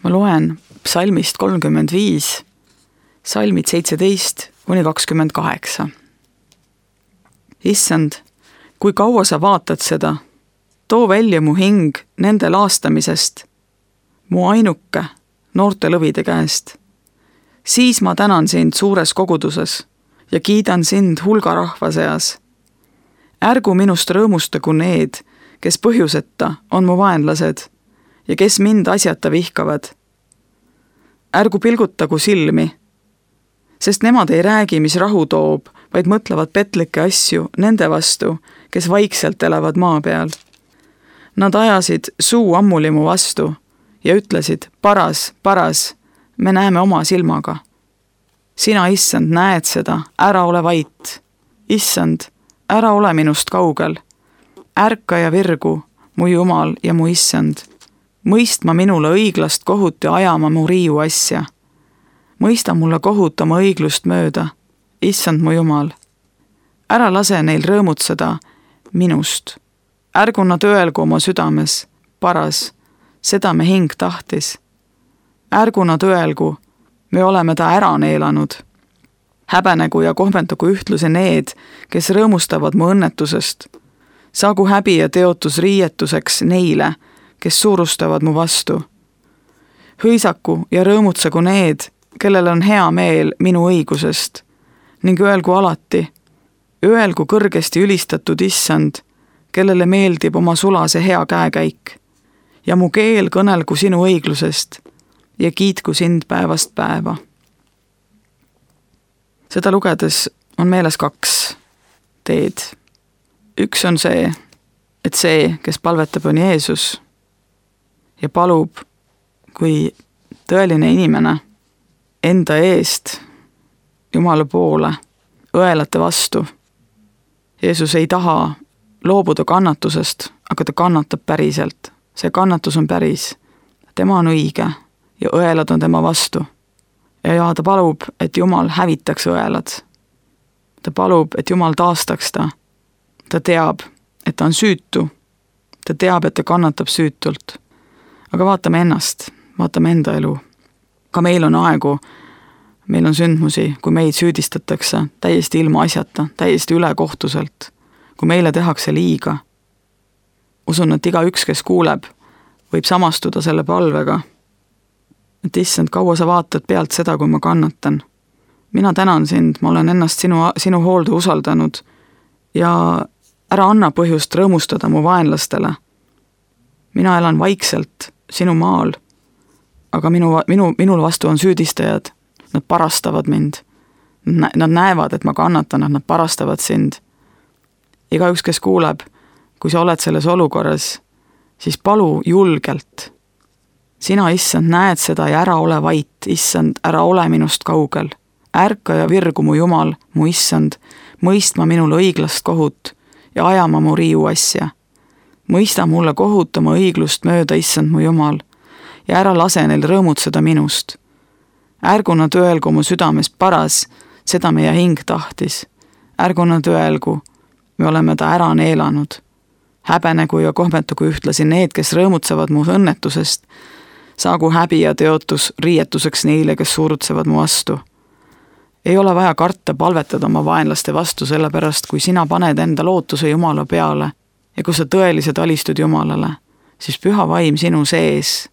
Ma loen psalmist 35, salmid 17–28. Issand, kui kaua sa vaatad seda, too välja mu hing nende laastamisest, mu ainuke noorte lõvide käest. Siis ma tänan sind suures koguduses ja kiidan sind hulgarahva seas. Ärgu minust rõõmustagu need, kes põhjuseta on mu vaenlased ja kes mind asjata vihkavad. Ärgu pilgutagu silmi, sest nemad ei räägi, mis rahu toob, vaid mõtlevad petlikke asju nende vastu, kes vaikselt elavad maa peal. Nad ajasid suu ammuli mu vastu ja ütlesid, paras, paras, me näeme oma silmaga. Sina, issand, näed seda, ära ole vait. Issand, ära ole minust kaugel. Ärka ja virgu, mu Jumal ja mu issand. Mõistma minule õiglast kohut ja ajama mu riiu asja. Mõista mulle kohut oma õiglust mööda, issand mu Jumal. Ära lase neil rõõmutseda minust. Ärgu nad öelgu oma südames, paras, seda me hing tahtis. Ärgu nad öelgu, me oleme ta ära neelanud. Häbenegu ja kohmendagu ühtluse need, kes rõõmustavad mu õnnetusest. Saagu häbi ja teotus riietuseks neile, kes suurustavad mu vastu. Hõisaku ja rõõmutsagu need, kellel on hea meel minu õigusest, ning öelgu alati, öelgu kõrgesti ülistatud issand, kellele meeldib oma sulase hea käekäik, ja mu keel kõnelgu sinu õiglusest ja kiitku sind päevast päeva. Seda lugedes on meeles 2 teed. Üks on see, et see, kes palvetab, on Jeesus ja palub kui tõeline inimene enda eest Jumala poole õelate vastu. Jeesus ei taha loobuda kannatusest, aga ta kannatab päriselt. See kannatus on päris. Tema on õige ja õelad on tema vastu. Ja ta palub, et Jumal hävitaks õelad. Ta palub, et Jumal taastaks ta. Ta teab, et ta on süütu. Ta teab, et ta kannatab süütult. Aga vaatame ennast, vaatame enda elu. Ka meil on aegu, meil on sündmusi, kui meid süüdistatakse täiesti ilma asjata, täiesti ülekohtuselt, kui meile tehakse liiga. Usun, et igaüks, kes kuuleb, võib samastuda selle palvega. Et issand, kaua sa vaatad pealt seda, kui ma kannatan. Mina tänan sind, ma olen ennast sinu hoolde usaldanud ja ära anna põhjust rõõmustada mu vaenlastele. Mina elan vaikselt sinu maal, aga minul vastu on süüdistajad. Nad parastavad mind. Nad näevad, et ma kannatan, nad parastavad sind. Igaüks, kes kuuleb, kui sa oled selles olukorras, siis palu julgelt. Sina, issand, näed seda ja ära ole vait, issand, ära ole minust kaugel. Ärka ja virgu mu Jumal, mu issand, mõistma minule õiglast kohut ja ajama mu riiu asja. Mõista mulle kohut oma õiglust mööda, issand mu Jumal, ja ära lase neil rõõmutseda minust. Ärgu nad öelgu mu südames paras, seda meie hing tahtis. Ärgu nad öelgu, me oleme ta ära neelanud. Häbenegu ja kohmetagu ühtlasi need, kes rõõmutsavad mu õnnetusest. Saagu häbi ja teotus riietuseks neile, kes suurutsevad mu vastu. Ei ole vaja karta palvetada oma vaenlaste vastu, sellepärast kui sina paned enda lootuse Jumala peale ja kui sa tõeliselt alistud Jumalale, siis püha vaim sinu sees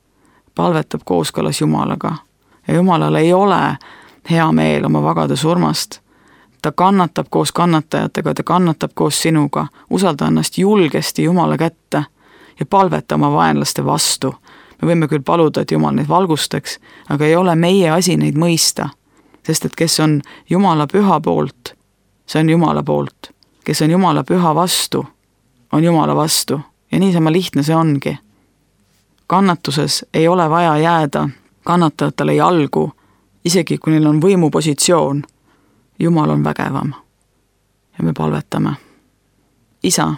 palvetab kooskõlas Jumalaga. Ja Jumalale ei ole hea meel oma vagade surmast. Ta kannatab koos kannatajatega, ta kannatab koos sinuga. Usalda ennast julgesti Jumala kätte ja palveta oma vaenlaste vastu. Me võime küll paluda, et Jumal neid valgustaks, aga ei ole meie asi neid mõista. Sest et kes on Jumala püha poolt, see on Jumala poolt. Kes on Jumala püha vastu, on Jumala vastu. Ja niisama lihtne see ongi. Kannatuses ei ole vaja jääda kannatajatele jalgu, isegi kui neil on võimupositsioon. Jumal on vägevam. Ja me palvetame. Isa,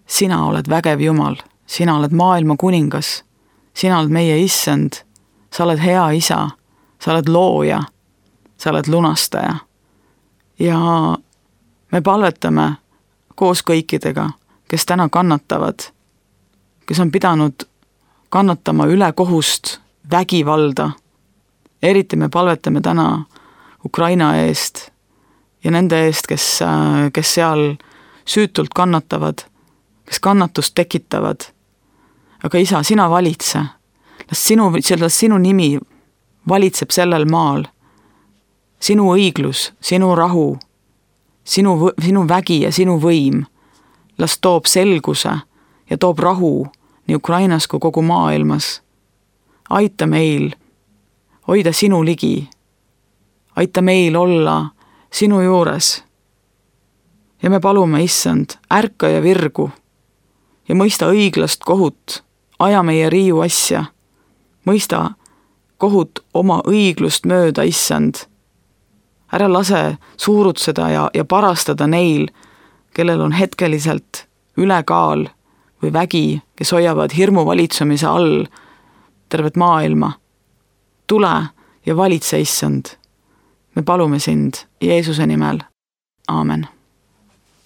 sina oled vägev Jumal, sina oled maailma kuningas, sina oled meie issand, sa oled hea isa, sa oled looja, sa oled lunastaja. Ja me palvetame koos kõikidega, kes täna kannatavad, kes on pidanud kannatama üle kohust vägivalda. Eriti me palvetame täna Ukraina eest ja nende eest, kes seal süütult kannatavad, kes kannatust tekitavad. Aga Isa, sina valitse. Sinu nimi valitseb sellel maal. Sinu õiglus, sinu rahu, sinu vägi ja sinu võim. Las toob selguse ja toob rahu nii Ukrainas kui kogu maailmas. Aita meil hoida sinu ligi. Aita meil olla sinu juures. Ja me palume, Issand, ärka ja virgu ja mõista õiglast kohut, aja meie riiu asja, mõista kohut oma õiglust mööda, Issand. Ära lase suurutseda ja parastada neil, kellel on hetkeliselt ülekaal või vägi, kes hoiavad hirmu valitsemise all tervet maailma. Tule ja valitse, Issand. Me palume sind Jeesuse nimel. Aamen.